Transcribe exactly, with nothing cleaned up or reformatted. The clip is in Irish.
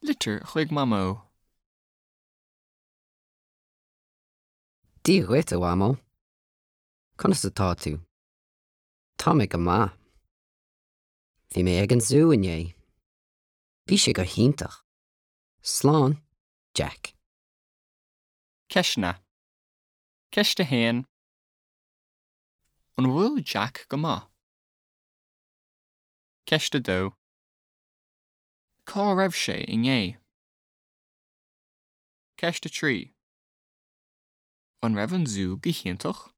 Litir chuig Mamó. Dia dhuit a Mhamó. Conas atá tú? Tá mé go maith. Bhí mé ag an zú inné. Bhí sé go hiontach. Slán, Jack. Ceisteanna. Ceist a haon. An bhfuil Jack go maith? Ceist a dó. Cá raibh sé inné? Ceist a trí. An raibh an zú go hiontach?